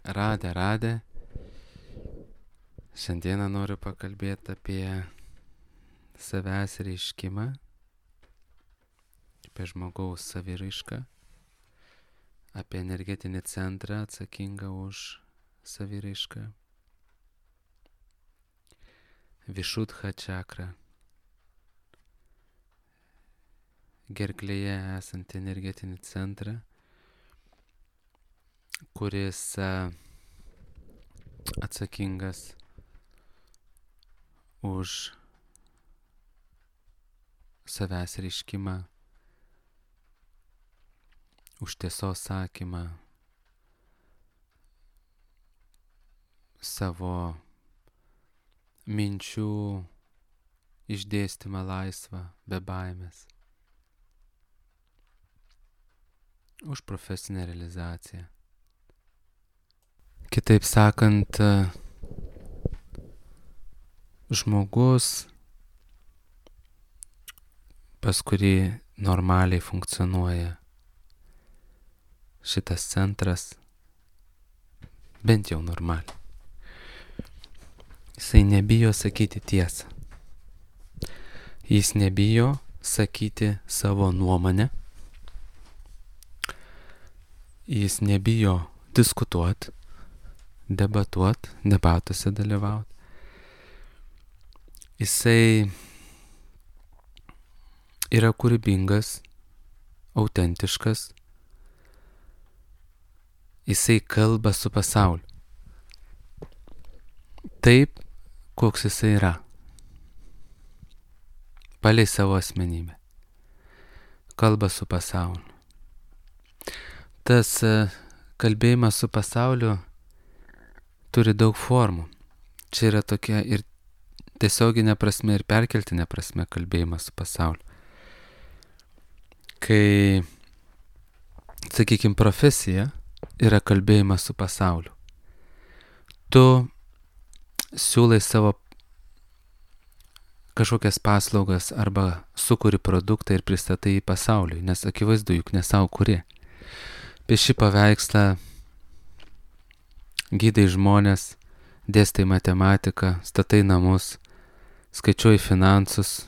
Radė. Šiandieną noriu pakalbėti apie savęs reiškimą, apie žmogaus saviraišką, apie energetinį centrą atsakingą už saviraišką, Višudha čakrą, gerklėje esantį energetinį centrą, kuris atsakingas už savęs reiškimą, už tiesos sakymą, savo minčių išdėstymą laisvą, be baimės, už profesinę realizaciją. Kitaip sakant, žmogus, pas kurį normaliai funkcionuoja šitas centras, bent jau normaliai, jisai nebijo sakyti tiesą. Jis nebijo sakyti savo nuomonę. Jis nebijo diskutuoti, debatuoti, debatuose dalyvauti. Jisai yra kūrybingas, autentiškas. Jisai kalba su pasauliu. Taip, koks jisai yra. Palei savo asmenybę. Kalba su pasauliu. Tas kalbėjimas su pasauliu turi daug formų. Čia yra tokia ir tiesioginė prasme, ir perkeltinė prasme kalbėjimas su pasauliu. Kai, sakykime, profesija yra kalbėjimas su pasauliu. Tu siūlai savo kažkokias paslaugas arba sukuri produktą ir pristatai į pasauliui, nes akivaizdu, juk ne savo kuri. Pieši paveikslą, gydai žmonės, dėstai matematiką, statai namus, skaičiuoji finansus,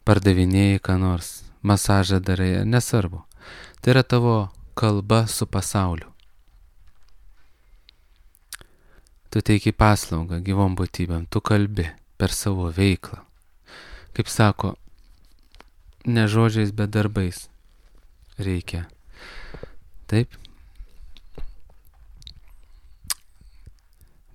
pardavinėjai ką nors, masažą darai, nesvarbu. Tai yra tavo kalba su pasauliu. Tu teiki paslaugą gyvom būtybėm, tu kalbi per savo veiklą. Kaip sako, ne žodžiais, bet darbais reikia. Taip?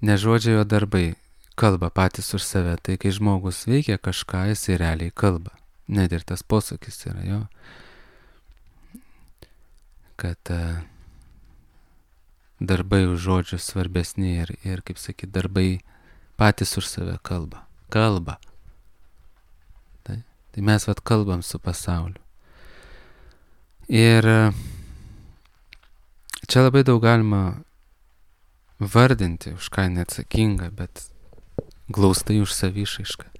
Ne žodžiai, o darbai kalba patys už save. Tai kai žmogus veikia kažką, jisai realiai kalba. Net ir tas posakis yra jo, kad darbai už žodžius svarbesni ir kaip sakyt, darbai patys už save kalba. Kalba. Tai mes kalbam su pasauliu. Ir čia labai daug galima vardinti, už ką neatsakinga, bet glaustai už savišaišką.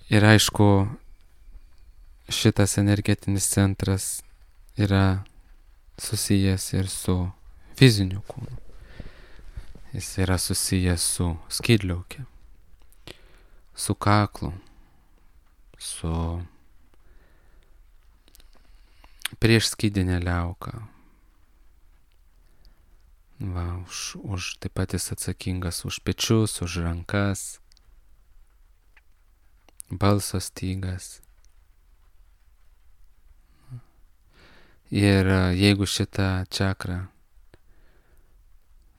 Ir aišku, šitas energetinis centras yra susijęs ir su fiziniu kūnu. Jis yra susijęs su skydliauke, su kaklu, su priešskydinė liauka. Taip pat jis atsakingas už pečius, už rankas, balso stygas. Ir jeigu šitą čakrą,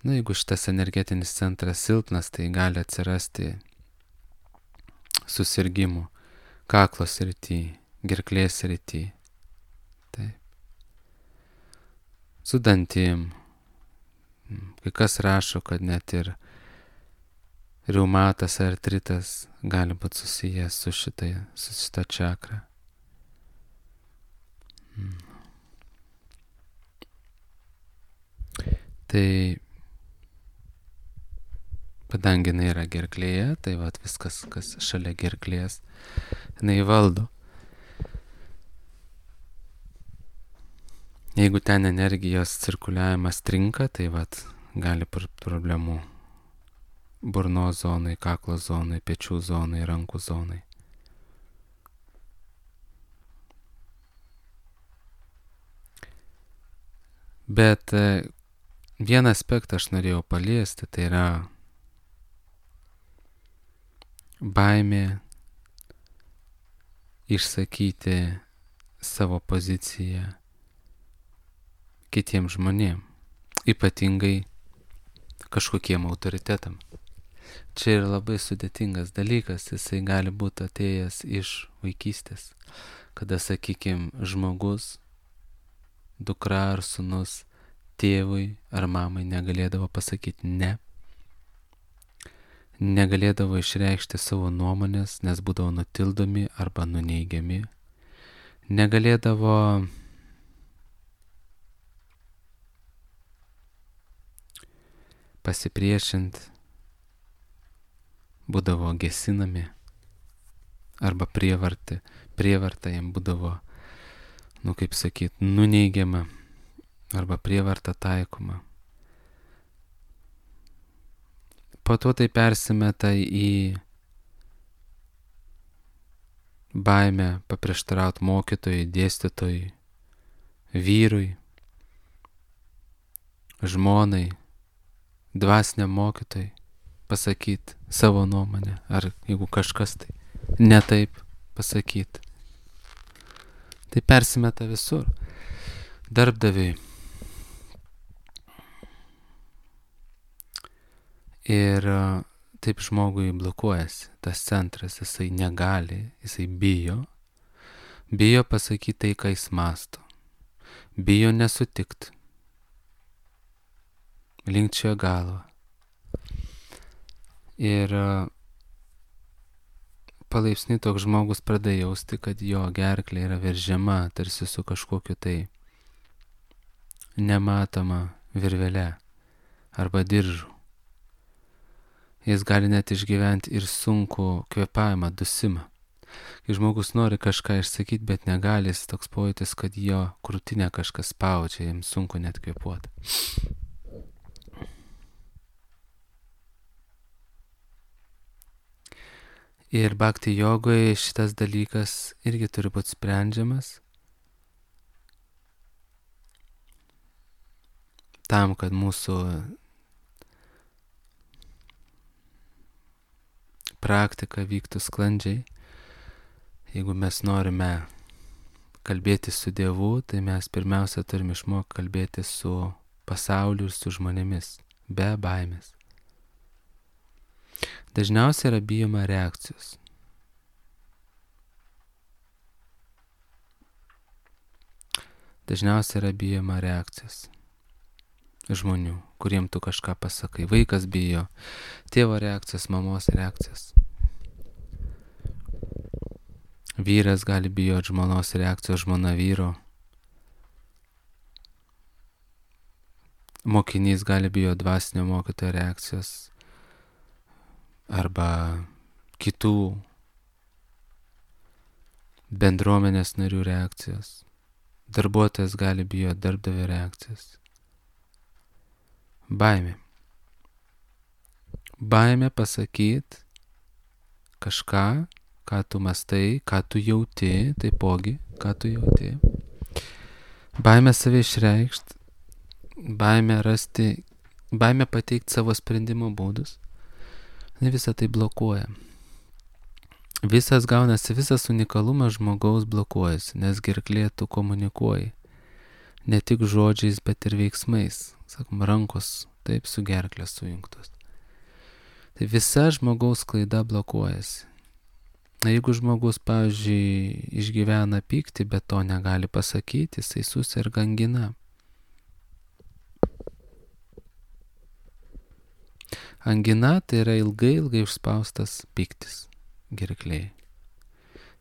jeigu šitas energetinis centras silpnas, tai gali atsirasti susirgimų kaklo srity, gerklės srity. Taip. Su dantim. Kai kas rašo, kad net ir reumatas ar artritas gali būti susijęs su šita čakra. Tai kadangi jinai yra gerklėje, tai viskas, kas šalia gerklės, jinai valdo. Jeigu ten energijos cirkuliavimas trinka, tai gali problemų burnos zonai, kaklo zonai, pečių zonai, rankų zonai. Bet vieną aspektą aš norėjau paliesti, tai yra baimė išsakyti savo poziciją kitiems žmonėms, ypatingai kažkokiem autoritetam. Čia yra labai sudėtingas dalykas, jisai gali būti atėjęs iš vaikystės, kada, sakykime, žmogus, dukra ar sūnus tėvui ar mamai negalėdavo pasakyti ne, negalėdavo išreikšti savo nuomonės, nes būdavo nutildomi arba nuneigiami, negalėdavo pasipriešinti, būdavo gesinami arba prievarta jam būdavo, kaip sakyt, nuneigiama arba prievarta taikoma. Po to tai persimeta į baimę paprieštarauti mokytojui, dėstytojui, vyrui, žmonai, dvasiniam mokytojui pasakyti savo nuomonę, ar jeigu kažkas tai ne taip pasakyti. Tai persimeta visur. Darbdaviui. Ir taip žmogui blokuojasi tas centras, jisai negali, jisai bijo pasakyti tai, ką jis mąsto, bijo nesutikti, linkčioja galvą. Ir palaipsniui toks žmogus pradeda jausti, kad jo gerklė yra veržiama tarsi su kažkokiu tai nematoma virvele arba diržu. Jis gali net išgyventi ir sunku kvėpavimą, dusimą. Kai žmogus nori kažką išsakyti, bet negali, jis toks pojūtis, kad jo krūtinę kažkas spaudžia, jam sunku net kvėpuoti. Ir bhakti jogoje šitas dalykas irgi turi būti sprendžiamas tam, kad mūsų praktika vyktų sklandžiai. Jeigu mes norime kalbėti su Dievu, tai mes pirmiausia turime išmokti kalbėti su pasauliu ir su žmonėmis, be baimės. Dažniausiai yra bijoma reakcijos. Dažniausiai yra bijoma reakcijos žmonių, kuriem tu kažką pasakai. Vaikas bijo tėvo reakcijos, mamos reakcijos. Vyras gali bijoti žmonos reakcijos, žmona vyro. Mokinys gali bijoti dvasinio mokytojo reakcijos arba kitų bendruomenės narių reakcijos. Darbuotojas gali bijoti darbdavio reakcijos. Baimė. Baimė pasakyti kažką, ką tu mastai, ką tu jauti, taipogi, ką tu jauti. Baimė save išreikšti, baimė pateikti savo sprendimo būdus. Visą tai blokuoja. Visas unikalumas žmogaus blokuojasi, nes gerklė tu komunikuoji. Ne tik žodžiais, bet ir veiksmais. Sakom, rankos taip su gerklė sujungtos. Tai visa žmogaus klaida blokuojasi. Jeigu žmogus, pavyzdžiui, išgyvena pyktį, bet to negali pasakyti, jisai suserga angina. Angina tai yra ilgai užspaustas pyktis gerklėje.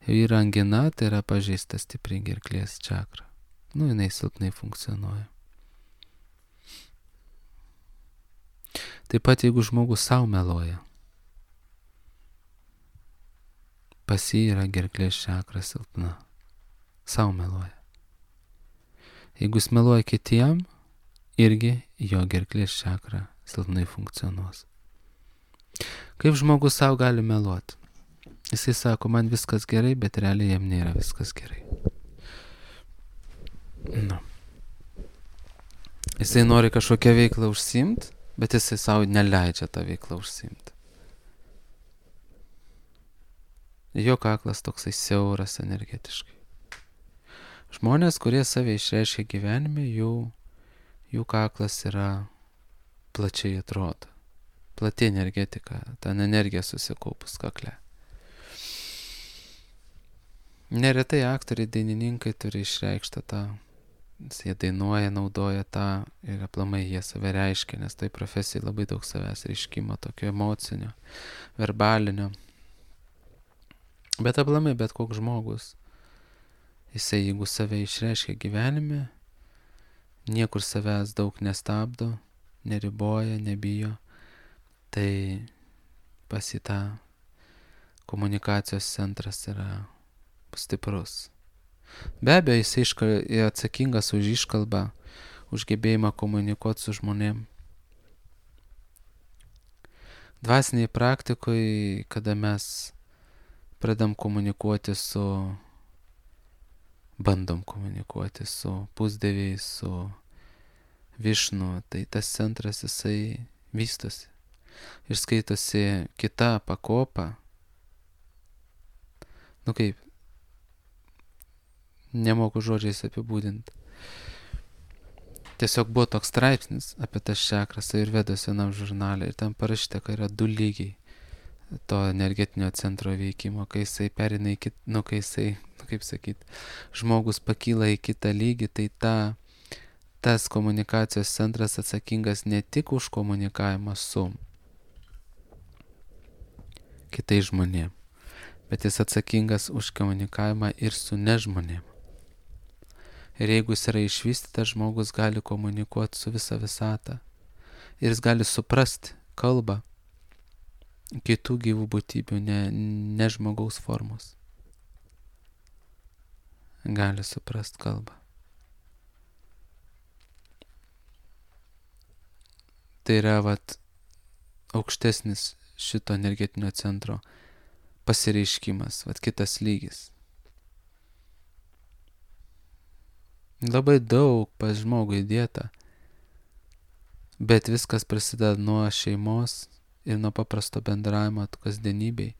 Jei yra angina, tai yra pažeista stipriai gerklės čakra. Jinai silpnai funkcionuoja. Taip pat jeigu žmogus savo meluoja, pas jį yra gerklės čakra silpna. Savo meluoja. Jeigu jis meluoja kitiem, irgi jo gerklės čakra silpnai funkcionuos. Kaip žmogus savo gali meluoti? Jisai sako, man viskas gerai, bet realiai jam nėra viskas gerai. Jisai nori kažkokią veiklą užsiimti, bet jisai savo neleidžia tą veiklą užsiimti. Jo kaklas toksai siauras energetiškai. Žmonės, kurie save išreiškia gyvenime, jų kaklas yra plačiai atrodo. Plati energetika, ten energija susikaupus kakle. Neretai aktoriai, dainininkai turi išreikštą tą, jie dainuoja, naudoja tą ir aplamai jie save reiškia, nes tai profesijai labai daug savęs reiškimo, tokio emocinio, verbalinio. Bet aplamai bet koks žmogus, jisai jeigu save išreiškia gyvenime, niekur savęs daug nestabdo, neriboja, nebijo, tai pas į tą komunikacijos centras yra stiprus. Be abejo, jisai atsakingas už iškalbą, už gebėjimą komunikuoti su žmonėm. Dvasiniai praktikoje, kada mes pradam komunikuoti bandom komunikuoti su pusdieviais, su Višnu, tai tas centras jisai vystosi ir skaitosi kita pakopa. Kaip, nemoku žodžiais apibūdinti. Tiesiog buvo toks straipsnis apie tas čakras Ajurvedos vienam žurnale ir ten parašyta, kad yra 2 lygiai to energetinio centro veikimo, kai jisai perina į kai jisai, kaip sakyt, žmogus pakyla į kitą lygį, tai tas komunikacijos centras atsakingas ne tik už komunikavimą su kitais žmonėm, bet jis atsakingas už komunikavimą ir su nežmonėm. Ir jeigu jis yra išvystytas, žmogus gali komunikuoti su visa visata. Ir jis gali suprasti kalbą kitų gyvų būtybių, ne žmogaus formos. Gali suprasti kalbą. Tai yra aukštesnis šito energetinio centro pasireiškimas, kitas lygis. Labai daug pas žmogų įdėta, bet viskas prasideda nuo šeimos ir nuo paprasto bendravimo kasdienybei.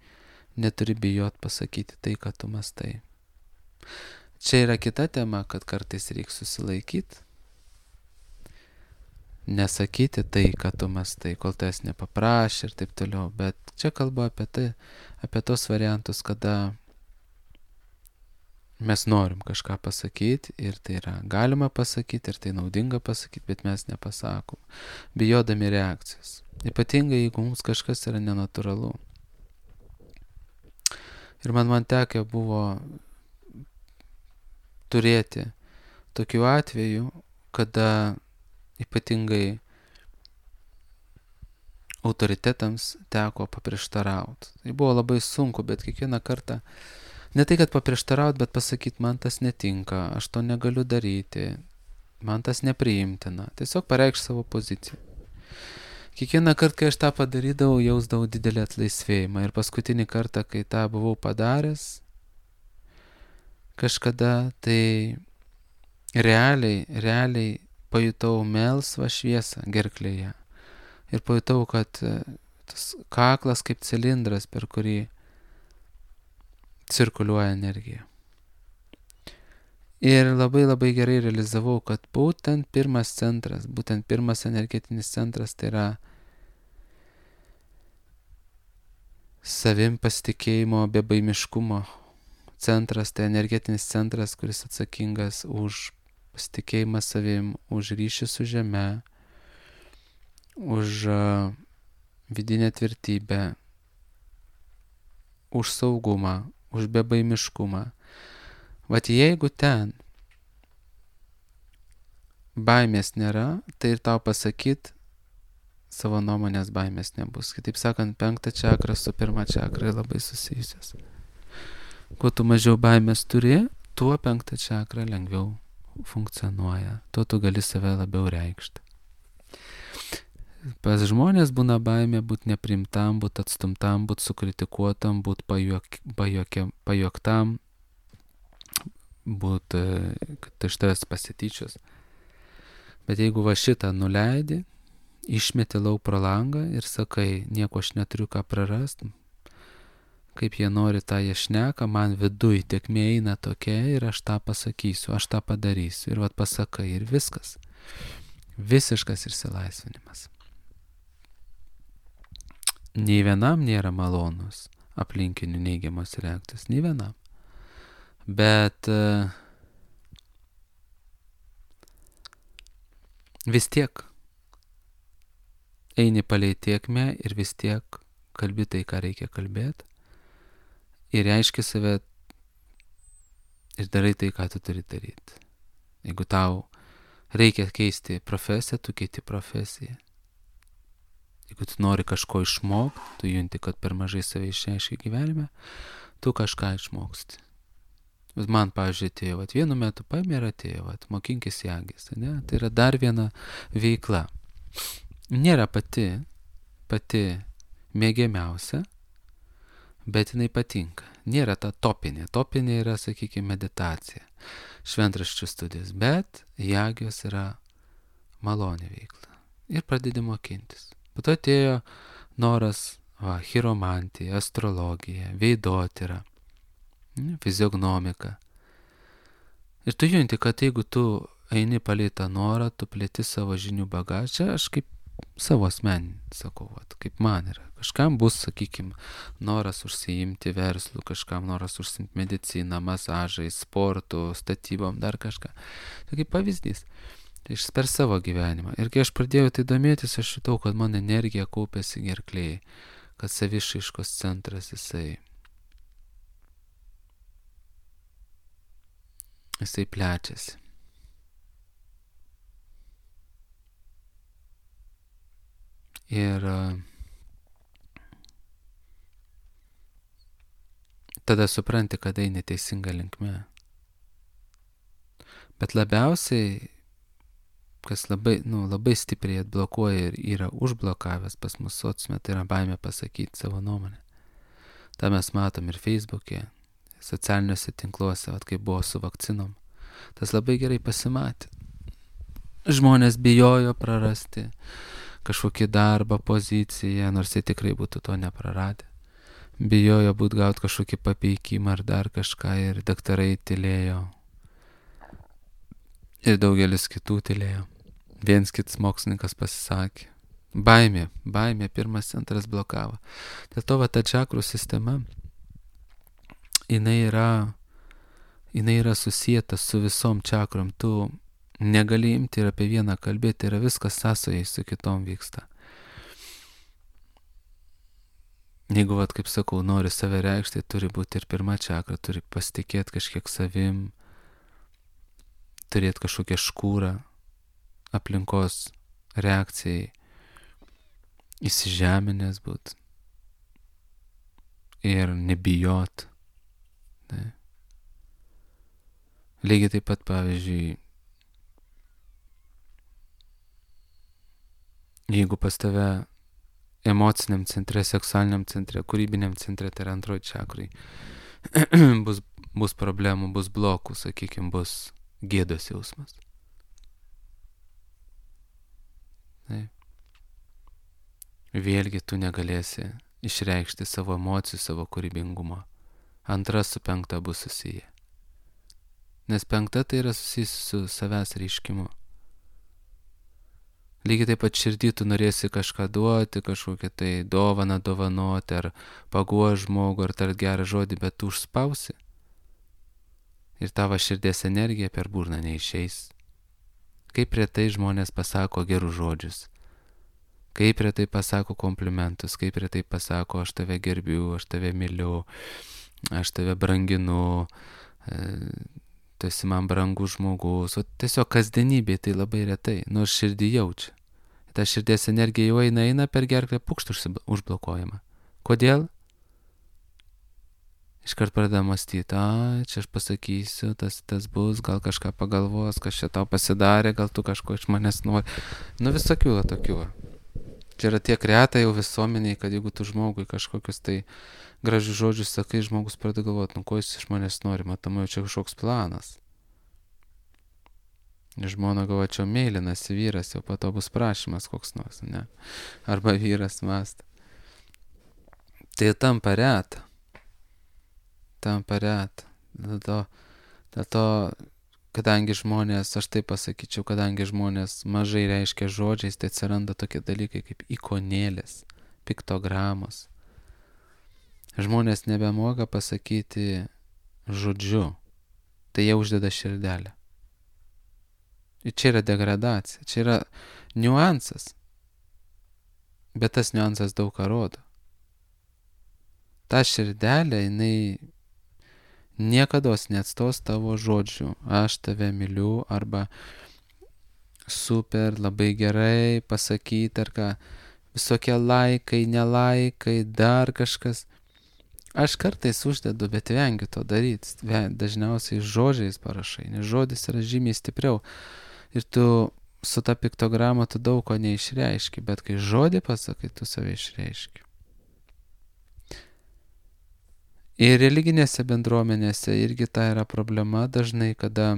Neturi bijot pasakyti tai, ką tu mąstai. Čia yra kita tema, kad kartais reikia susilaikyti, nesakyti tai, ką tu mąstai, kol tas nepaprašė ir taip toliau. Bet čia kalba apie tos variantus, kada mes norim kažką pasakyti ir tai yra galima pasakyti ir tai naudinga pasakyti, bet mes nepasakom, bijodami reakcijos. Ypatingai, jeigu mums kažkas yra nenatūralu. Ir man tekę buvo turėti tokių atvejų, kada ypatingai autoritetams teko paprieštarauti. Tai buvo labai sunku, bet kiekvieną kartą ne tai, kad paprieštarauti, bet pasakyti, man tas netinka, aš to negaliu daryti, man tas nepriimtina. Tiesiog pareikšti savo poziciją. Kiekvieną kartą, kai aš tą padarydavau, jausdavau didelį atlaisvėjimą. Ir paskutinį kartą, kai tą buvau padaręs, kažkada, tai realiai pajutau melsvą šviesą gerklėje. Ir pajutau, kad tas kaklas kaip cilindras, per kurį cirkuliuoja energija. Ir labai gerai realizavau, kad būtent pirmas centras, būtent pirmas energetinis centras, tai yra savim pasitikėjimo, bebaimiškumo centras, tai energetinis centras, kuris atsakingas už pasitikėjimą savim, už ryšį su žeme, už vidinę tvirtybę, už saugumą, už bebaimiškumą. Jeigu ten baimės nėra, tai ir tau pasakyt savo nuomonės baimės nebus. Kitaip sakant, 5 čakra su 1 čakra labai susijusios. Kuo tu mažiau baimės turi, tuo 5 čakra lengviau funkcionuoja, tuo tu gali save labiau reikšti. Pas žmonės būna baimė būti neprimtam, būti atstumtam, būti sukritikuotam, būti pajuoktam, būti, kad iš tavęs pasityčios. Bet jeigu va šitą nuleidi, išmeti lauk pro langą ir sakai, nieko aš neturiu ką prarasti, kaip jie nori, tą jie šneka, man viduj tėkmė eina tokia ir aš tą pasakysiu, aš tą padarysiu. Ir vat pasakai ir viskas. Visiškas išsilaisvinimas. Nei vienam nėra malonus aplinkinių neigiamos reakcijos, nei vienam. Bet vis tiek eini palei tėkmę ir vis tiek kalbi tai, ką reikia kalbėti. Ir reiški save ir darai tai, ką tu turi daryti. Jeigu tau reikia keisti profesiją, tu keiti profesiją. Jeigu tu nori kažko išmokti, tu junti, kad per mažai save išreiški gyvenime, tu kažką išmoksti. Bet man, pavyzdžiui, atėjo, vienu metu paėmė ir atėjo, mokinkis jagis, ne? Tai yra dar viena veikla. Nėra pati mėgiamiausia, bet jinai patinka. Nėra ta topinė. Topinė yra, sakykime, meditacija, šventraščių studijos, bet jagijos yra malonė veikla. Ir pradedi mokintis. Po to atėjo noras, chiromantija, astrologija, veidotyra, fiziognomika. Ir tu junti, kad jeigu tu eini palei tą norą, tu plėti savo žinių bagažą. Čia aš kaip savo asmeninį sakau, kaip man yra. Kažkam bus, sakykime, noras užsiimti verslu, kažkam noras užsiimti mediciną, masažai, sportu, statybom, dar kažką. Tai kaip pavyzdys. Tai per savo gyvenimą. Ir kai aš pradėjau tai domėtis, aš jutau, kad mano energija kaupėsi gerklėje, kad savišaiškos centras jisai plečiasi. Ir tada supranti, kad eini teisinga linkme. Bet labiausiai, kas labai stipriai atblokuoja ir yra užblokavęs pas mus sociume, tai yra baimė pasakyti savo nuomonę. Ta mes matom ir Facebook'e, socialiniuose tinkluose, kaip buvo su vakcinom. Tas labai gerai pasimatė. Žmonės bijojo prarasti kažkokį darbą, poziciją, nors jie tikrai būtų to nepraradę. Bijojo gauti kažkokį papeikimą ar dar kažką ir daktarai tylėjo. Ir daugelis kitų tylėjo. Viens kitas mokslininkas pasisakė. Baimė pirmas centras blokavo. Dėl to ta čakrų sistema, jinai yra susieta su visom čakrom. Tu negali imti ir apie vieną kalbėti, yra viskas sąsajai su kitom vyksta. Jeigu, kaip sakau, nori save reikšti, turi būti ir pirma čakra, turi pasitikėti kažkiek savim, turėti kažkokią škūrą aplinkos reakcijai, įsižeminęs būt ir nebijot. Ne? Lygiai taip pat, pavyzdžiui, jeigu pas tave emociniam centre, seksualiniam centre, kūrybiniam centre, tai yra antroji čakrai, bus problemų, bus blokų, sakykime, bus gėdos jausmas. Taip. Vėlgi tu negalėsi išreikšti savo emocijų, savo kūrybingumo. Antra su penkta bus susiję. Nes penkta tai yra susijusi su savęs reiškimu. Lygiai taip pat širdį tu norėsi kažką duoti, kažkokią tai dovaną dovanoti, ar paguosti žmogų, ar tart gerą žodį, bet tu užspausi. Ir tavo širdies energija per burną neišeis. Kaip retai žmonės pasako gerus žodžius. Kaip retai pasako komplimentus, kaip retai pasako, aš tave gerbiu, aš tave myliu, aš tave branginu, tu esi man brangus žmogus. O tiesiog kasdienybėje tai labai retai, nors širdį jaučia. Ta širdies energija jau eina per gerklę, pukšt užblokuojama. Kodėl? iškart pradeda mąstyti, čia aš pasakysiu, tas bus, gal kažką pagalvos, kas čia tau pasidarė, gal tu kažko iš manęs nori. Nu visokių tokių. Čia yra tiek reta jau visuomeniai, kad jeigu tu žmogui kažkokius tai gražius žodžius sakai, žmogus pradeda galvoti, ko jis iš manęs nori, matomai čia kažkoks planas. Žmona galvoja, čia mėlynas vyras, jau po to bus prašymas koks nors, ne? Arba vyras mąsta. Tai tampa reta. Dėl to, kadangi žmonės, aš taip pasakyčiau, kadangi žmonės mažai reiškia žodžiais, tai atsiranda tokie dalykai kaip ikonėlės, piktogramos. Žmonės nebemoka pasakyti žodžiu, tai jie uždeda širdelę. Ir čia yra degradacija, čia yra niuansas, bet tas niuansas daug ką rodo. Ta širdelė, jinai niekados neatstos tavo žodžių, aš tave myliu, arba super, labai gerai pasakyti, ar ką, visokie laikai, nelaikai, dar kažkas. Aš kartais uždedu, bet vengiu to daryti. Dažniausiai žodžiais parašai, nes žodis yra žymiai stipriau. Ir tu su ta piktograma tu daug ko neišreiški, bet kai žodį pasakai, tu save išreiški. Ir religinėse bendruomenėse irgi ta yra problema dažnai, kada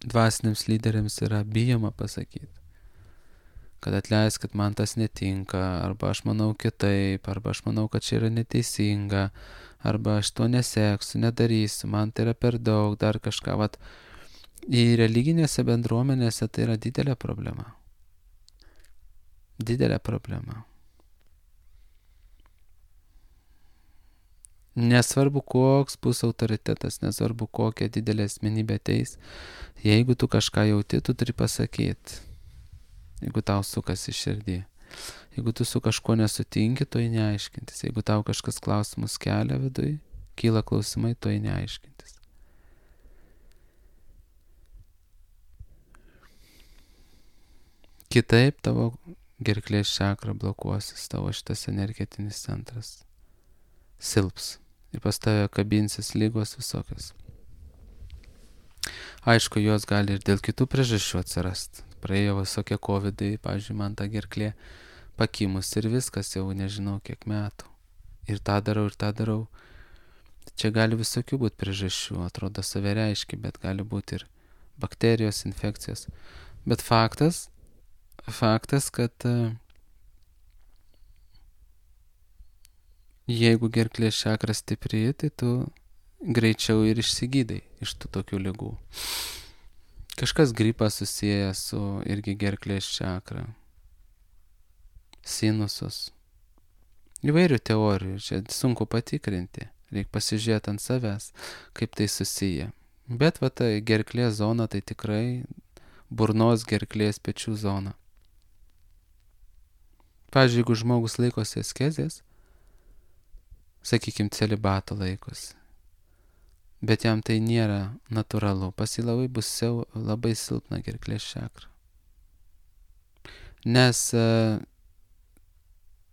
dvasiniams lyderiams yra bijoma pasakyti, kad atleiskit, man tas netinka, arba aš manau kitaip, arba aš manau, kad čia yra neteisinga, arba aš to neseksiu, nedarysiu, man tai yra per daug, dar kažką. Vat, į religinėse bendruomenėse tai yra didelė problema. Didelė problema. Nesvarbu, koks bus autoritetas, nesvarbu, kokia didelė asmenybė ateis, jeigu tu kažką jauti, tu turi pasakyti. Jeigu tau sukasi širdį. Jeigu tu su kažkuo nesutinki, to į neaiškintis. Jeigu tau kažkas klausimus kelia vidui, kyla klausimai, to į neaiškintis. Kitaip tavo gerklės čakra blokuosis, tavo šitas energetinis centras silps. Ir pas tave kabinsis lygos visokios. Aišku, jos gali ir dėl kitų priežasčių atsirasti. Praėjo visokie covidai, pavyzdžiui, man ta gerklė pakimus ir viskas jau nežinau kiek metų. Ir tą darau. Čia gali visokių būti priežasčių, atrodo save reiškia, bet gali būti ir bakterijos, infekcijos. Bet faktas, kad jeigu gerklės čakra stipri, tai tu greičiau ir išsigydai iš tų tokių ligų. Kažkas gripą susieja su irgi gerklės čakra. Sinusus. Įvairių teorijų, čia sunku patikrinti. Reikia pasižiūrėti ant savęs, kaip tai susiję. Bet va ta gerklės zona tai tikrai burnos, gerklės, pečių zona. Pavyzdžiui, jeigu žmogus laikosi askezės, sakykime, celibato laikosi, bet jam tai nėra natūralu, pas jį labai silpna gerklės čakra. Nes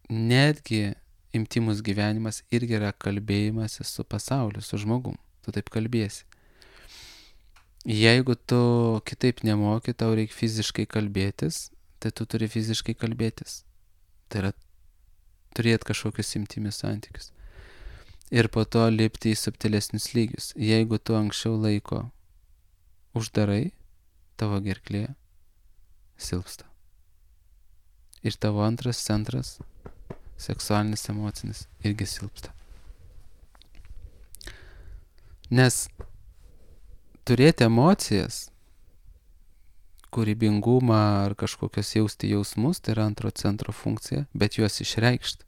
netgi intymus gyvenimas irgi yra kalbėjimas su pasauliu, su žmogum, tu taip kalbėsi. Jeigu tu kitaip nemoki, tau reikia fiziškai kalbėtis, tai tu turi fiziškai kalbėtis. Tai yra turėti kažkokius intymius santykius. Ir po to lipti į subtilesnius lygius. Jeigu tu anksčiau laiko uždarai, tavo gerklė silpsta. Ir tavo antras centras, seksualinis, emocinis, irgi silpsta. Nes turėti emocijas, kūrybingumą ar kažkokios jausti jausmus, tai yra antro centro funkcija, bet juos išreikšti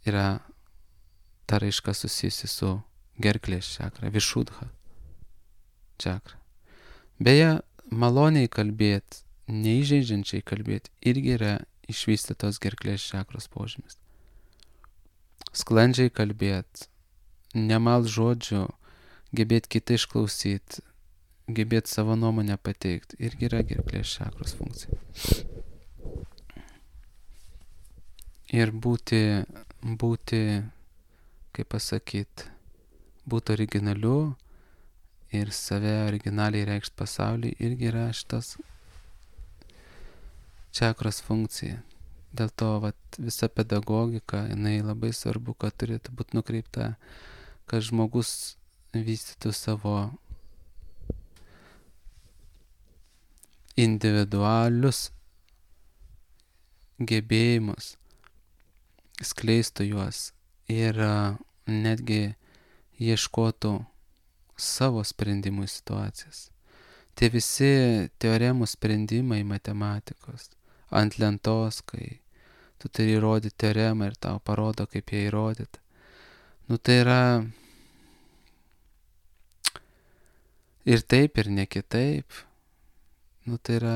yra ta raiška susijusi su gerklės čakra, višudha čakra. Beje, maloniai kalbėti, neįžeidžiančiai kalbėti, irgi yra išvystytos gerklės čakros požymis. Sklandžiai kalbėti, nemal žodžių, gebėti kitą išklausyti, gebėti savo nuomonę pateikti, irgi yra gerklės čakros funkcija. Ir būti būti, kaip pasakyti, būti originaliu ir save originaliai reikšti pasauliui irgi yra šitas čakros funkcija. Dėl to visa pedagogika, jinai labai svarbu, kad turėtų būti nukreipta, kad žmogus vystytų savo individualius gebėjimus, skleistų juos ir netgi ieškotų savo sprendimų į situacijas. Tie visi teoremų sprendimai matematikos ant lentos, kai tu turi įrodyti teoremą ir tau parodo, kaip ją įrodyti. Tai yra ir taip, ir ne kitaip. Tai yra,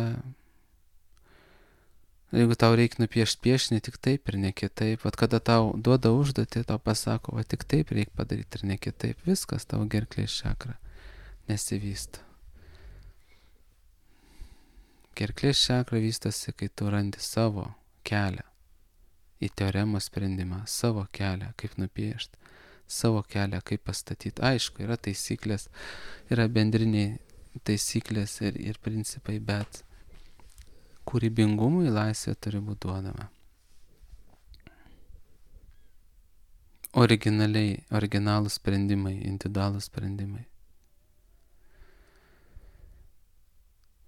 jeigu tau reikia nupiešti piešinį, tik taip ir ne kitaip. Kada tau duoda užduotį, tau pasako, tik taip reikia padaryti ir ne kitaip. Viskas, tavo gerklės čakra nesivysto. Gerklės čakra vystosi, kai tu randi savo kelią į teoremos sprendimą, savo kelią, kaip nupiešti, savo kelią, kaip pastatyti. Aišku, yra taisyklės, yra bendriniai taisyklės ir principai, bet kūrybingumui laisvė turi būti duodama. Originalūs sprendimai, individualūs sprendimai.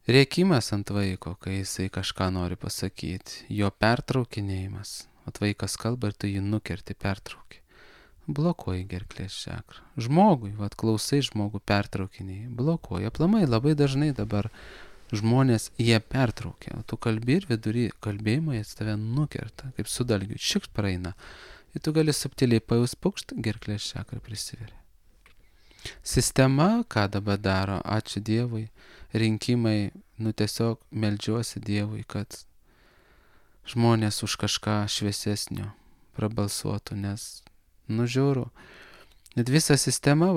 Rėkimas ant vaiko, kai jisai kažką nori pasakyti, jo pertraukinėjimas. Vaikas kalba ir tu jį nukerti, pertrauki. Blokuoji gerklės čakrą. Žmogui, klausai žmogų pertraukiniai, blokuoji. Aplamai labai dažnai dabar žmonės jie pertraukia, o tu kalbi ir vidury kalbėjimo jie tave nukerta, kaip su dalgiu, šikšt praeina. Ir tu gali subtiliai pajaus pukšt, gerklės čakra prisiveria. Sistema, ką dabar daro, ačiū Dievui, rinkimai, tiesiog meldžiuosi Dievui, kad žmonės už kažką šviesesnio prabalsuotų, nes žiūriu, net visa sistema,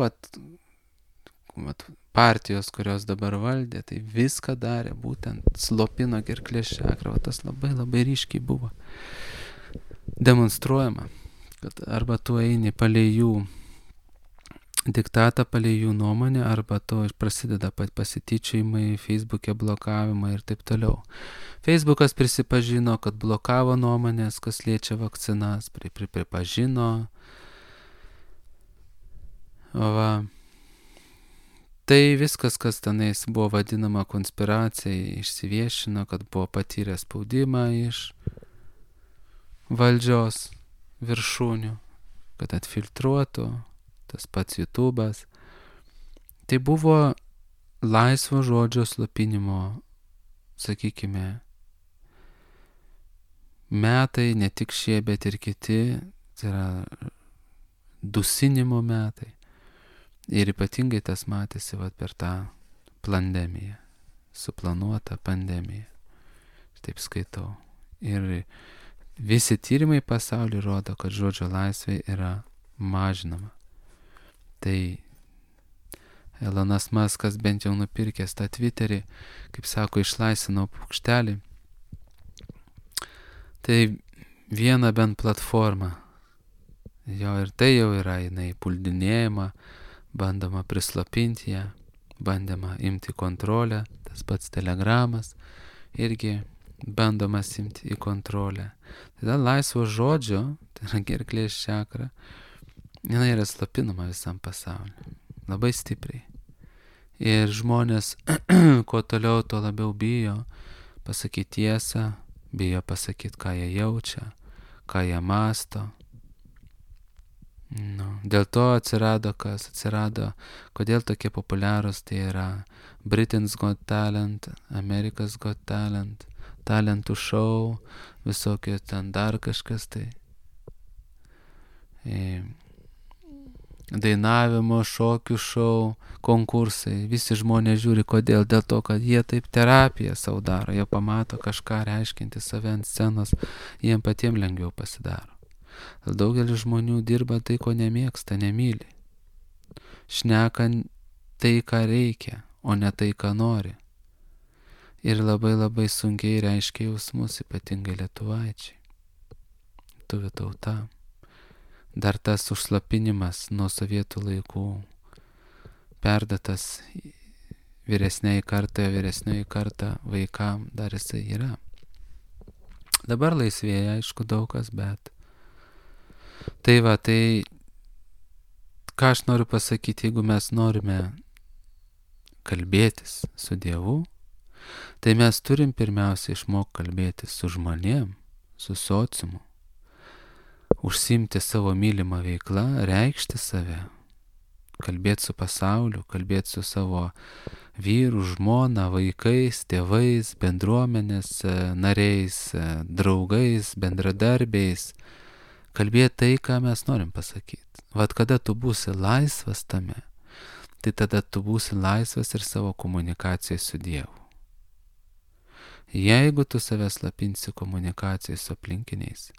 partijos, kurios dabar valdė, tai viską darė, būtent slopino gerklės čakrą, tas labai labai ryškiai buvo demonstruojama, kad arba tu eini palei jų diktatą, palei jų nuomonę, arba to prasideda pasityčiojimai, Facebook'e blokavimai ir taip toliau. Facebookas prisipažino, kad blokavo nuomonės, kas liečia vakcinas, pripažino. Tai viskas, kas tenais buvo vadinama konspiracija, išsiviešino, kad buvo patyrę spaudimą iš valdžios viršūnių, kad atfiltruotų, tas pats YouTube'as. Tai buvo laisvo žodžio slopinimo, sakykime, metai, ne tik šie, bet ir kiti, tai yra dusinimo metai. Ir ypatingai tas matėsi per tą pandemiją, suplanuotą pandemiją. Taip skaitau. Ir visi tyrimai pasaulyje rodo, kad žodžio laisvė yra mažinama. Tai Elonas Muskas bent jau nupirkęs tą Twitterį, kaip sako, išlaisvinau paukštelį. Tai viena bent platforma. Jo ir tai jau yra, jinai puldinėjama, bandoma prislopinti ją, bandoma imti kontrolę, tas pats Telegramas irgi bandomas imti į kontrolę. Tada laisvo žodžio, tai yra gerklės čakra, jinai yra slopinama visam pasauliu, labai stipriai. Ir žmonės, kuo toliau, tuo labiau bijo pasakyti tiesą, bijo pasakyti, ką jie jaučia, ką jie masto. Dėl to atsirado, kodėl tokie populiarūs, tai yra Britain's Got Talent, America's Got Talent, talentų šou, visokie ten dar kažkas tai. Dainavimo, šokių šou, konkursai, visi žmonės žiūri, kodėl, dėl to, kad jie taip terapiją savo daro, jie pamato kažką reiškinti save ant scenos, jiem patiems lengviau pasidaro. Daugelis žmonių dirba tai, ko nemėgsta, nemyli. Šneka tai, ką reikia, o ne tai, ką nori. Ir labai labai sunkiai reiškia jausmus, ypatingai lietuvaičiai. Lietuvių tauta. dar tas užslapinimas nuo sovietų laikų perdatas vyresnioji karta vaikam, dar jisai yra. Dabar laisvėja, aišku, daug kas, bet tai ką aš noriu pasakyti, jeigu mes norime kalbėtis su Dievu, tai mes turim pirmiausia išmokti kalbėtis su žmonėm, su sociumu, užsiimti savo mylimą veiklą, reikšti save, kalbėti su pasauliu, kalbėti su savo vyru, žmona, vaikais, tėvais, bendruomenės nariais, draugais, bendradarbiais, kalbėti tai, ką mes norim pasakyti. Vat kada tu būsi laisvas tame, tai tada tu būsi laisvas ir savo komunikacijai su Dievu. Jeigu tu save slapinsi komunikacijai su aplinkiniais,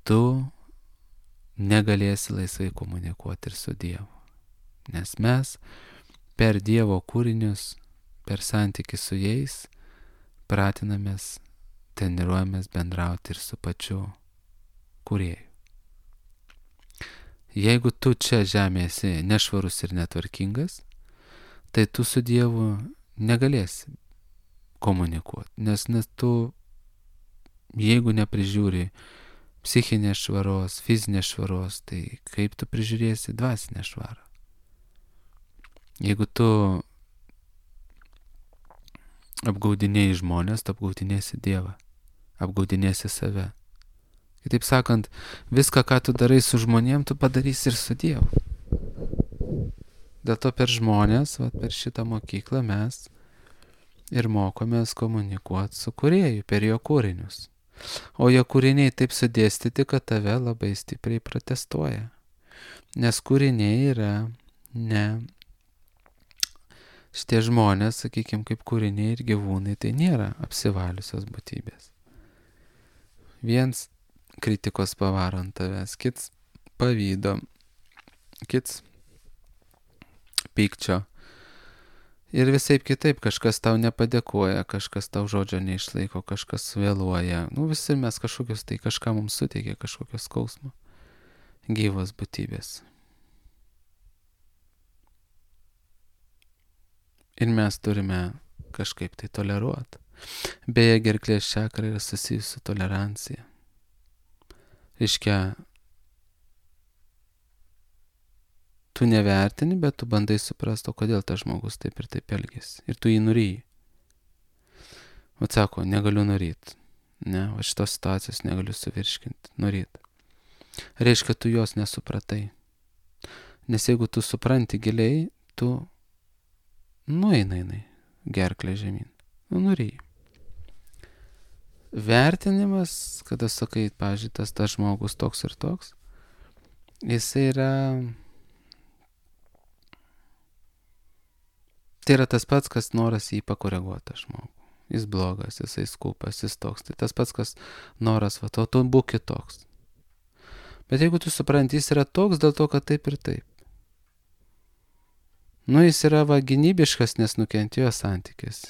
tu negalėsi laisvai komunikuoti ir su Dievu. Nes mes per Dievo kūrinius, per santykį su jais, pratinamės, treniruojamės bendrauti ir su pačiu kūrėju. Jeigu tu čia žemėje esi nešvarus ir netvarkingas, tai tu su Dievu negalėsi komunikuoti, nes tu, jeigu neprižiūri psichinės švaros, fizinės švaros, tai kaip tu prižiūrėsi dvasinę švarą? Jeigu tu apgaudinėjai žmonės, tu apgaudinėsi Dievą, apgaudinėsi save. Kitaip sakant, viską, ką tu darai su žmonėm, tu padarysi ir su Dievu. Dėl to per žmonės, per šitą mokyklą mes ir mokomės komunikuoti su kūrėju per jo kūrinius. O jo kūriniai taip sudėstyti, kad tave labai stipriai protestuoja. Nes kūriniai yra ne šitie žmonės, sakykime, kaip kūriniai ir gyvūnai, tai nėra apsivaliusios būtybės. Viens kritikos pavaro ant tavęs, kits pavydo, kits pykčio. Ir visaip kitaip, kažkas tau nepadėkoja, kažkas tau žodžio neišlaiko, kažkas vėluoja. Visi mes kažkokius, tai kažką mums suteikia, kažkokios skausmo. Gyvos būtybės. Ir mes turime kažkaip tai toleruoti. Beje, gerklės čakra yra susijusi su tolerancija. Reiškia, tu nevertini, bet tu bandai suprasti, o kodėl tas žmogus taip ir taip elgėsi. Ir tu jį nuryji. Sako, negaliu nuryti. Ne, šitos situacijos negaliu suvirškinti. Nuryti. Reiškia, tu jos nesupratai. Nes jeigu tu supranti giliai, tu nueinai gerklę žemyn. Nuryji. Vertinimas, kada sakai, pavyzdžiui, tas žmogus toks ir toks, jisai yra... Tai yra tas pats, kas noras jį pakoreguoti žmogų. Jis blogas, jisai skūpas, jis toks. Tai tas pats, kas noras, o tu būk kitoks. Bet jeigu tu supranti, jis yra toks dėl to, kad taip ir taip. Jis yra gynybiškas, nes nukentėjo santykis.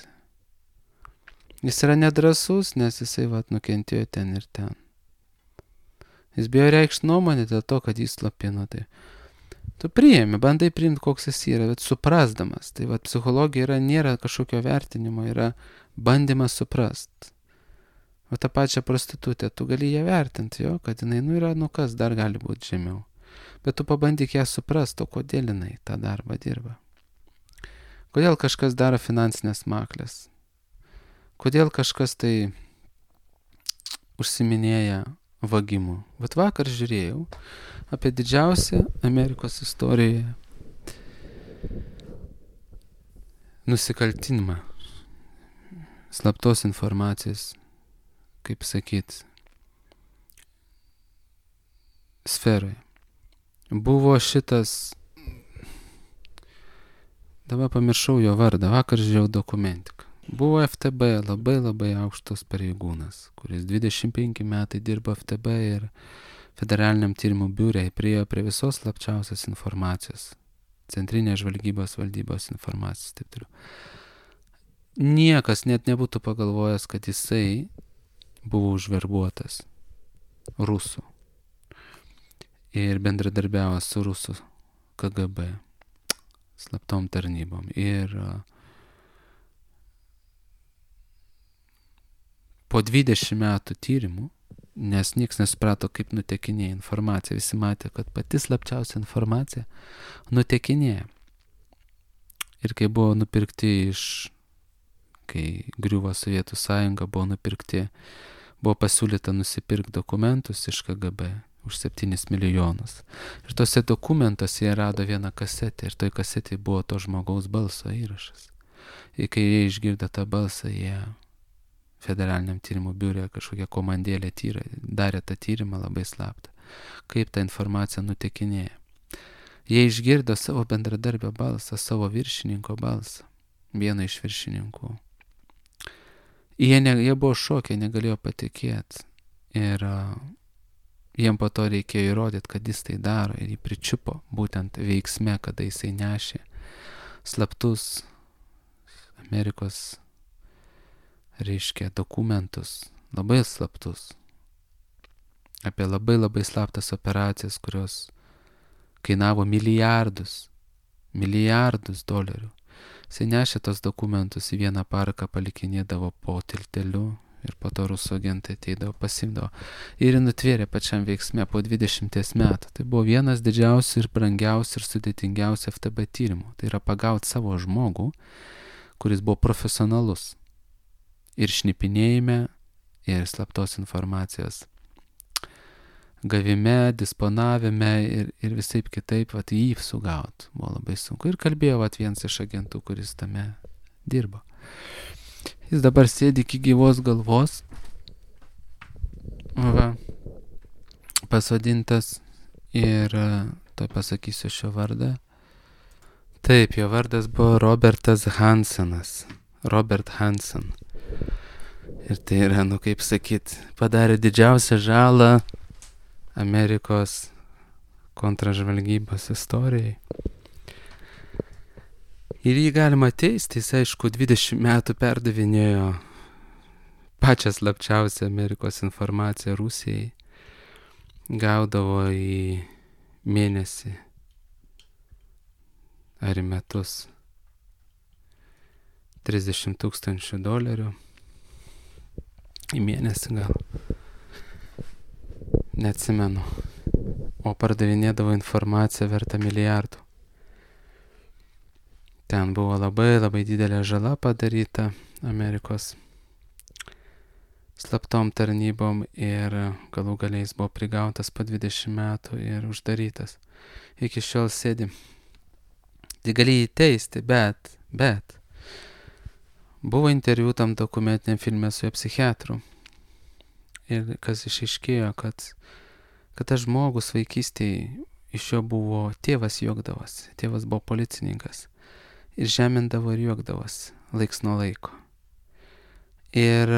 Jis yra nedrasus, nes jisai nukentėjo ten ir ten. Jis bijo reikšti nuomonę dėl to, kad jis slapino. Tai tu priimi, bandai priimti, koks jis yra, bet suprasdamas. Tai psichologija nėra kažkokio vertinimo, yra bandymas suprast. O tą pačią prostitutę, tu gali ją vertinti, kad jinai yra, kas dar gali būti žemiau. Bet tu pabandyk ją suprast, o kodėl jinai tą darbą dirba. Kodėl kažkas daro finansinės maklės. Kodėl kažkas tai užsiminėja vagimu. Bet vakar žiūrėjau apie didžiausią Amerikos istorijoje nusikaltimą, slaptos informacijos, kaip sakyt, sferoje. Buvo šitas, dabar pamiršau jo vardą, vakar žiūrėjau dokumentiką. Buvo FTB labai aukštas pareigūnas, kuris 25 metai dirbo FTB ir federaliniam tyrimų biure, priėjo prie visos slapčiausios informacijos, centrinės žvalgybos valdybos informacijos, taip toliau. Niekas net nebūtų pagalvojęs, kad jisai buvo užverbuotas rusų. ir bendradarbiavo su rusų KGB slaptom tarnybom. Ir po 20 metų tyrimų, nes nieks nesuprato, kaip nutekinėja informacija, visi matė, kad pati slapčiausia informacija nutekinėja. Ir kai buvo nupirkti kai griuvo Sovietų sąjunga, buvo pasiūlyta nusipirkti dokumentus iš KGB už 7 milijonus. Ir tose dokumentuose jie rado vieną kasetę ir toj kasetėje buvo to žmogaus balso įrašas. Ir kai jie išgirdo tą balsą, jie federaliniam tyrimų biure kažkokią komandėlę darė tą tyrimą labai slaptą, kaip ta informacija nutekinėja. Jie išgirdo savo bendradarbio balsą, savo viršininko balsą, vieno iš viršininkų. Jie buvo šokę, negalėjo patikėti. Ir jiem po to reikėjo įrodyti, kad jis tai daro, ir jį pričiupo būtent veiksme, kada jisai nešė slaptus Amerikos, reiškia, dokumentus, labai slaptus, apie labai labai slaptas operacijas, kurios kainavo milijardus dolerių. Jisai nešė tos dokumentus į vieną parką, palikinėdavo po tilteliu ir po to rusų agentai ateidavo, pasimdavo ir nutvėrė pačiam veiksme po 20 metų. Tai buvo vienas didžiausių ir brangiausių ir sudėtingiausių FTB tyrimų. Tai yra pagauti savo žmogų, kuris buvo profesionalus ir šnipinėjime, ir slaptos informacijos gavime, disponavime ir visaip kitaip, jį sugaut buvo labai sunku. Ir kalbėjo vienas iš agentų, kuris tame dirbo. Jis dabar sėdi iki gyvos galvos, pasodintas, ir to pasakysiu šio vardą. Taip, jo vardas buvo Robertas Hansenas. Robert Hansen. Ir tai yra, kaip sakyt, padarė didžiausią žalą Amerikos kontražvalgybos istorijai. Ir jį galima teisti, jis aišku 20 metų perdavinėjo pačią slapčiausią Amerikos informaciją Rusijai. Gaudavo į mėnesį ar į metus $30,000 į mėnesį gal. Neatsimenu. O pardavinėdavo informaciją vertą milijardų. Ten buvo labai labai didelė žala padaryta Amerikos slaptom tarnybom ir galų galiais buvo prigautas po 20 metų ir uždarytas. Iki šiol sėdi. Tai gali jį teisti, bet buvo interviu tam dokumentiniam filme su jo psichiatru. Ir kas išaiškėjo, kad tas žmogus vaikystėje iš jo buvo, tėvas juokdavosi, tėvas buvo policininkas. Ir žemindavo ir juokdavosi laiks nuo laiko. Ir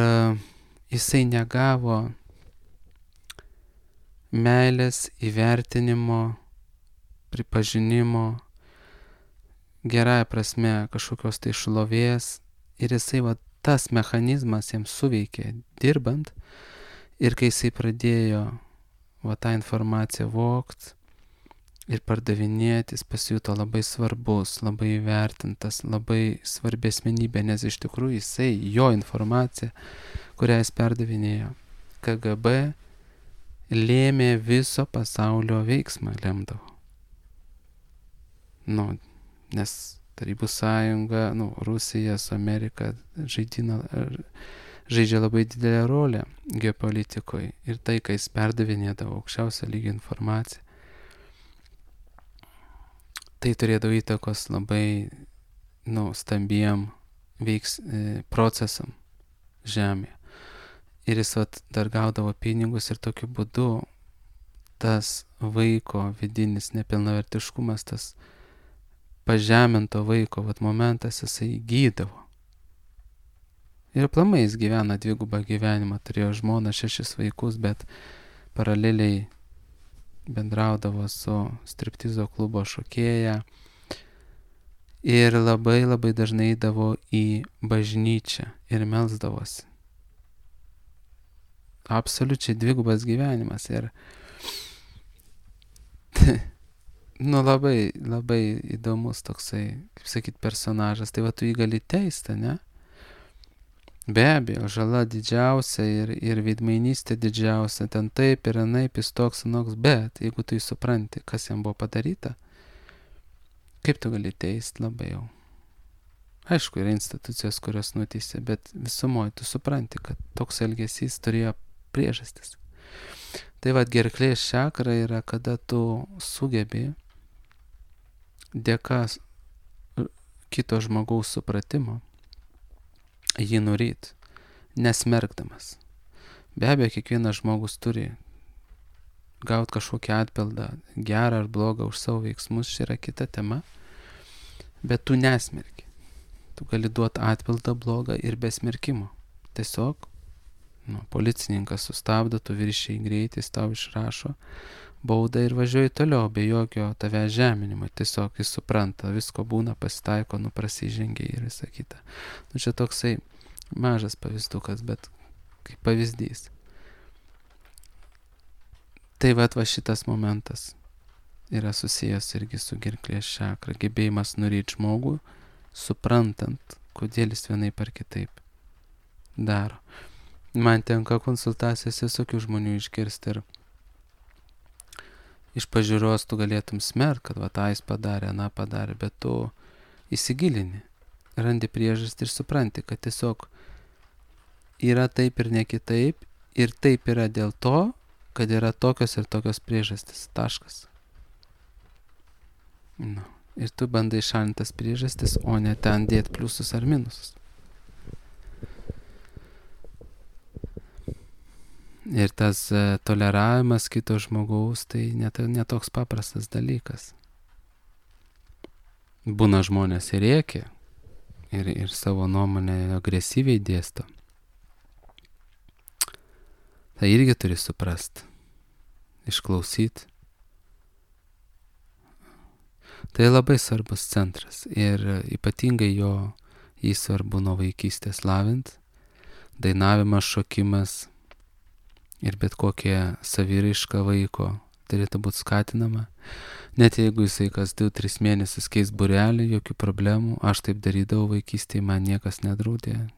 jisai negavo meilės, įvertinimo, pripažinimo, gerąja prasme kažkokios tai šlovės. Ir jisai tas mechanizmas jam suveikė dirbant. Ir kai jisai pradėjo tą informaciją vogt ir pardavinėti, jis pasijuto labai svarbus, labai įvertintas, labai svarbi asmenybė, nes iš tikrųjų jo informacija, kurią jis perdavinėjo KGB, lėmė viso pasaulio veiksmą, lemdavo. Nes Tarybų sąjunga, Rusija su Amerika žaidžia labai didelę rolę geopolitikoje. Ir tai, kai jis perdavinėdavo aukščiausio lygio informaciją, tai turėdavo įtakos labai stambiem procesam žemėje. Ir jis dar gaudavo pinigus ir tokiu būdu tas vaiko vidinis nepilnavertiškumas, tas pažeminto vaiko momentas, jisai gydavo. Ir aplamai jis gyvena dvigubą gyvenimą, turėjo žmoną, 6 vaikus, bet paraleliai bendraudavo su striptizo klubo šokėja ir labai labai dažnai eidavo į bažnyčią ir melsdavosi. Absoliučiai dvigubas gyvenimas. Ir labai, labai įdomus toksai, kaip sakyt, personažas. Tai va tu jį gali teisti, ne? Be abejo, žala didžiausia ir veidmainystė didžiausia, ten taip ir anaip, jis toks, anoks, bet jeigu tu supranti, kas jam buvo padaryta, kaip tu gali teisti labai jau. Aišku, yra institucijos, kurios nuteisė, bet visumoje tu supranti, kad toks elgesys turėjo priežastis. Tai vad gerklės čakra yra, kada tu sugebi dėka kito žmogaus supratimo jį nuryt, nesmerkdamas. Be abejo, kiekvienas žmogus turi gauti kažkokį atpildą, gerą ar blogą už savo veiksmus, čia yra kita tema, bet tu nesmerki. Tu gali duoti atpildą blogą ir be smerkimo. Tiesiog, policininkas sustabdo, tu viršiai greitis, tau išrašo baudą ir važiuoji toliau, be jokio tave žeminimo. Tiesiog jis supranta, visko būna, pasitaiko, prasižengia ir visą kitą. Čia toksai mažas pavyzdukas, bet kaip pavyzdys. Tai va šitas momentas yra susijęs irgi su gerklės čakra, gebėjimas nuryti žmogų, suprantant, kodėl jis vienaip ar kitaip daro. Man tenka konsultacijose visokių žmonių išgirsti ir iš pažiūros tu galėtum smerkt, kad va tą jis padarė, aną padarė, bet tu įsigilini, randi priežastį ir supranti, kad tiesiog yra taip ir ne kitaip, ir taip yra dėl to, kad yra tokios ir tokios priežastys. Taškas. Ir tu bandai šalinti tas priežastis, o ne ten dėti pliusus ar minusus. Ir tas toleravimas kito žmogaus, tai netoks paprastas dalykas. Būna žmonės ir rėkia, ir savo nuomonę agresyviai dėsto. Tai irgi turi suprast, išklausyt. Tai labai svarbus centras ir ypatingai jį svarbu nuo vaikystės lavint. Dainavimas, šokimas ir bet kokia saviraiška vaiko turėtų būti skatinama. Net jeigu jisai kas 2-3 mėnesius keis būrelį, jokių problemų. Aš taip darydavau vaikystėje, man niekas nedraudė.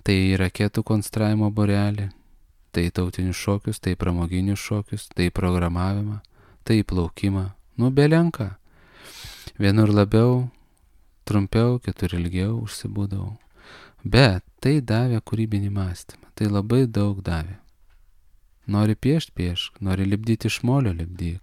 Tai raketų konstravimo būrelį, tai tautinius šokius, tai pramoginius šokius, tai programavimą, tai plaukimą. Belenka. Vienur labiau, trumpiau, kitur ilgiau užsibūdavau. Bet tai davė kūrybinį mąstymą. Tai labai daug davė. Nori piešt, piešk. Nori lipdyti iš molio, lipdyk.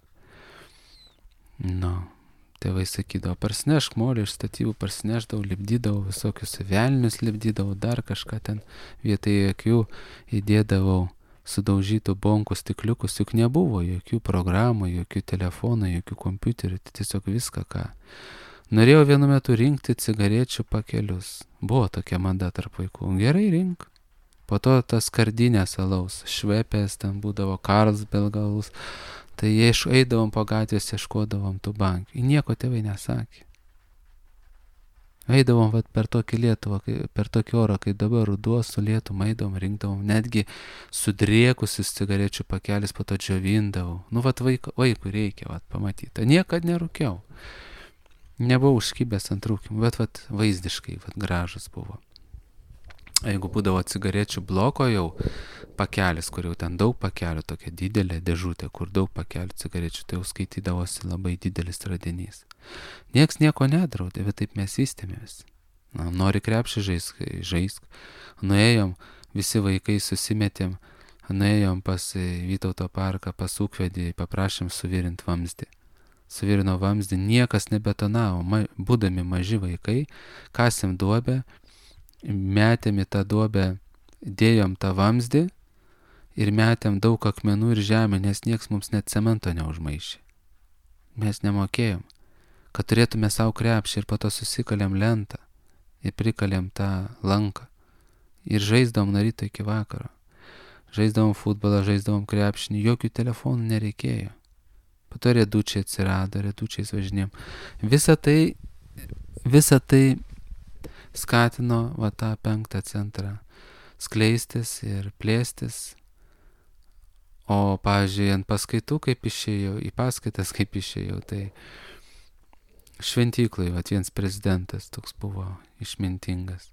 Tėvai sakydavo, parsinešk molį iš statybų, parsinešdavau, lipdydavau, visokius velnius lipdydavau, dar kažką ten vietoj akių įdėdavau sudaužytų bonkų stikliukus, juk nebuvo jokių programų, jokių telefonų, jokių kompiuterių, tiesiog viską, ką. Norėjau vienu metu rinkti cigarečių pakelius. Buvo tokia mada tarp vaikų. Gerai rink. Po to tas skardinės alaus, švepės, ten būdavo Carlsbergalus. Tai eidavom po gatvės, ieškodavom tų bankių. Nieko tėvai nesakė. Eidavom per tokį Lietuvą, per tokį orą, kai dabar ruduo su lietum, eidavom, rinkdavom, netgi sudriekusius cigarečių pakelis, po to džiovindavau. Vaikui reikia pamatyti. Niekad nerūkiau. Nebuvau užkibęs ant rūkimų, bet vaizdiškai gražus buvo. Jeigu būdavo cigarečių bloko jau pakelis, kur jau ten daug pakelių, tokia didelė dėžutė, kur daug pakelių cigarečių, tai jau skaitydavosi labai didelis radinys. Nieks nieko nedraudė, bet taip mes vystėmės. Nori krepšį žaisk. Nuėjom, visi vaikai susimetėm, nuėjom pas Vytauto parką, pas ūkvedį, paprašėm suvirint vamzdį. Suvirino vamzdį, niekas nebetonavo, būdami maži vaikai, kasėm duobę, metėm į tą duobę, dėjom tą vamzdį ir metėm daug akmenų ir žemę, nes nieks mums net cemento neužmaišė. Mes nemokėjom, kad turėtume savo krepšį ir po to susikalėm lentą ir prikalėm tą lanką ir žaisdavom nuo ryto iki vakaro. Žaisdavom futbolą, žaisdavom krepšinį, jokių telefonų nereikėjo. Po to riedučiai atsirado, riedučiais važinėjom. Visa tai skatino tą 5. centrą skleistis ir plėstis, O, pavyzdžiui, ant paskaitų kaip išėjau, į paskaitas kaip išėjau, tai šventyklai, vienas prezidentas toks buvo išmintingas.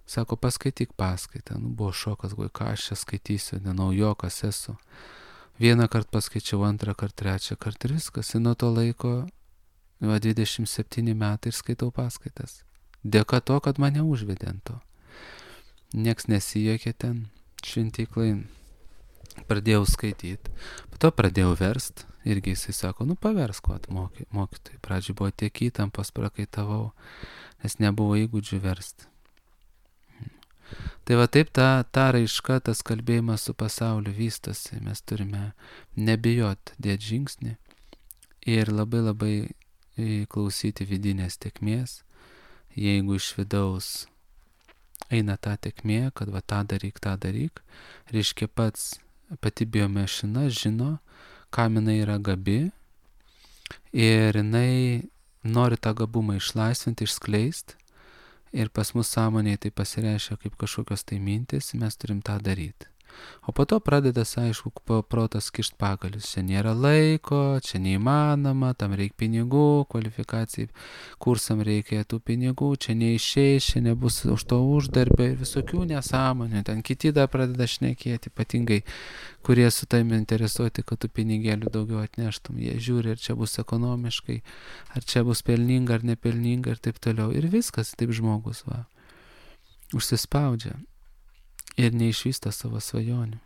Sako, paskaityk paskaitą. Buvo šokas, ką aš čia skaitysiu, nenaujokas esu. Vieną kartą paskaičiau, antrą kartą, trečią kartą ir viskas. Ir nuo to laiko 27 metai ir skaitau paskaitas. Dėka to, kad mane užvedė ant to. Nieks nesijokė ten šventyklai. Pradėjau skaityti. Po to pradėjau verst. Irgi jisai sako, paversk, mokytojai. Pradžiai buvo tiek įtampos, prakaitavau, nes nebuvo įgūdžių verst. Tai va taip ta raiška, tas kalbėjimas su pasauliu vystosi. Mes turime nebijot dėti žingsnį ir labai labai klausyti vidinės tėkmės. Jeigu iš vidaus eina ta tėkmė, kad va tą daryk, reiškia pati biomašina žino, kam jinai yra gabi ir jinai nori tą gabumą išlaisvinti, išskleisti. Ir pas mus sąmonėje tai pasireiškia kaip kažkokios tai mintis, mes turim tą daryti. O po to pradeda, aišku, protas kišt pagalius. Čia nėra laiko, čia neįmanoma, tam reikia pinigų, kvalifikacijai, kursam reikia tų pinigų, čia neišeis, čia nebus už to uždarbio ir visokių nesąmonių. Ten kiti dar pradeda šnekėti, ypatingai, kurie su taimi interesuoti, kad tų pinigėlių daugiau atneštum. Jie žiūri, ar čia bus ekonomiškai, ar čia bus pelninga, ar nepelninga ir taip toliau. Ir viskas, taip žmogus užsispaudžia. Ir neišvysto savo svajonių.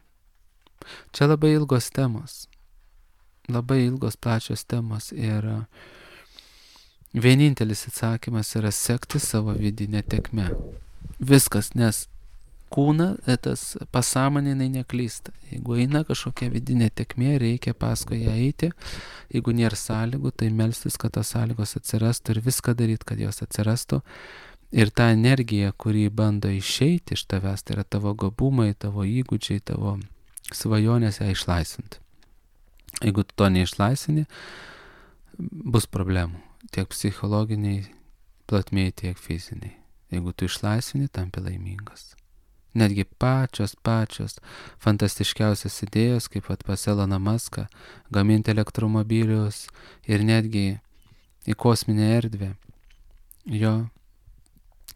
Čia labai ilgos temos. Labai ilgos plačios temos. Ir vienintelis atsakymas yra sekti savo vidinę tėkmę. Viskas, nes kūna, tas pasąmonė neklysta. Jeigu eina kažkokia vidinė tėkmė, reikia paskui ją eiti. Jeigu nėra sąlygų, tai melstis, kad tos sąlygos atsirastų ir viską daryti, kad jos atsirastų. Ir ta energija, kuri bando išeiti iš tavęs, tai yra tavo gabumai, tavo įgūdžiai, tavo svajonės ją išlaisvinti. Jeigu tu to neišlaisvini, bus problemų. Tiek psichologiniai plotmėje, tiek fiziniai. Jeigu tu išlaisvini, tampi laimingas. Netgi pačios fantastiškiausias idėjos, kaip pas Eloną Muską, gaminti elektromobilius ir netgi į kosminę erdvę. Jo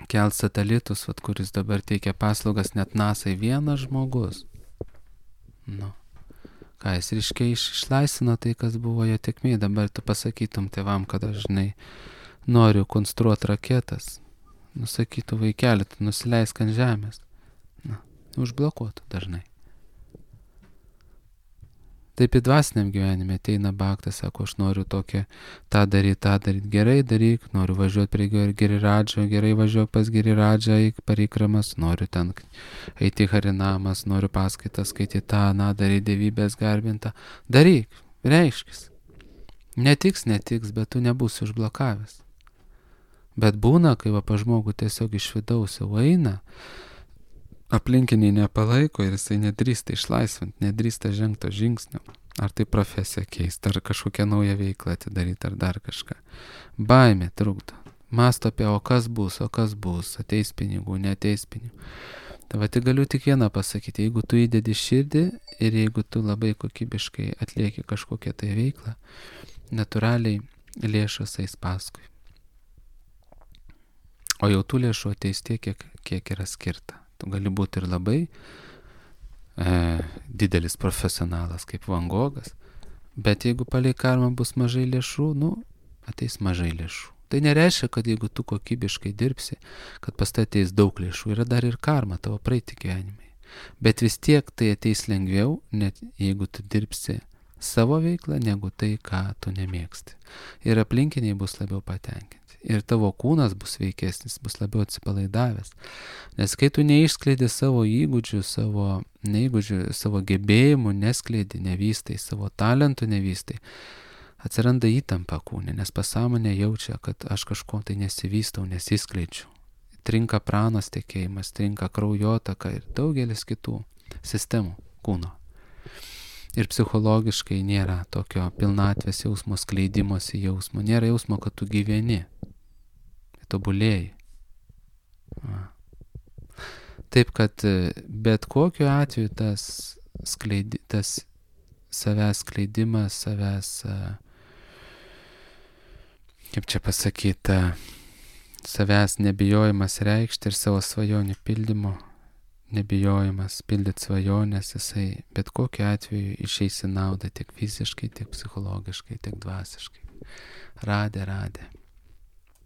kelt satelitus, kuris dabar teikia paslaugas net NASA, vienas žmogus. Ką jis ryškiai išlaisvino tai, kas buvo jo tėkmė. Dabar tu pasakytum tėvam, kad aš noriu konstruoti raketas. Sakytų, vaikeli, tu nusileisk ant žemės. Užblokuotų dažnai. Taip į dvasiniam gyvenime ateina baktas, sako, aš noriu tą daryti, gerai daryk, noriu važiuoti prie Giriradžo, gerai važiuok pas Giriradžą, eik parikramas, noriu ten eiti harinamas, noriu paskaitas skaityti daryti dievybės garbintą. Daryk, reiškis. Netiks, bet tu nebūsi užblokavęs. Bet būna, kai pa žmogų tiesiog iš vidaus jau eina, aplinkiniai nepalaiko ir jisai nedrįsta išlaisvinti, nedrįsta žengto žingsnio. Ar tai profesiją keisti, ar kažkokią naują veiklą atidaryti, ar dar kažką. Baimė trukdo. Mąsto apie, o kas bus, ateis pinigų, neateis pinigų. Tai galiu tik vieną pasakyti, jeigu tu įdedi širdį ir jeigu tu labai kokybiškai atlieki kažkokią tai veiklą, natūraliai lėšos eis paskui. O jau tų lėšų ateis tiek, kiek yra skirta. Tu gali būti ir labai didelis profesionalas kaip Van Gogas, bet jeigu palei karmą bus mažai lėšų, ateis mažai lėšų. Tai nereiškia, kad jeigu tu kokybiškai dirbsi, kad pas tai ateis daug lėšų, yra dar ir karma tavo praeiti gyvenimai. Bet vis tiek tai ateis lengviau, net jeigu tu dirbsi savo veiklą, negu tai, ką tu nemėgsti. Ir aplinkiniai bus labiau patenkinti. Ir tavo kūnas bus veikesnis, bus labiau atsipalaidavęs. Nes kai tu neišskleidi savo įgūdžių, savo gebėjimų, neskleidi, nevystai, savo talentų nevystai, atsiranda įtampa kūne, nes pasąmonė jaučia, kad aš kažko tai nesivystau, nesiskleidžiu. Trinka pranos tekėjimas, trinka kraujotaka ir daugelis kitų sistemų kūno. Ir psichologiškai nėra tokio pilnatvės jausmo, skleidimosi jausmo, nėra jausmo, kad tu gyveni, tobulėjai. Taip, kad bet kokiu atveju tas savęs skleidimas, savęs, kaip čia pasakyti, savęs nebijojimas reikšti ir savo svajonių pildymo, nebijojimas pildyti svajonės, jisai bet kokiu atveju išeis į naudą tiek fiziškai, tiek psichologiškai, tiek dvasiškai. Radė.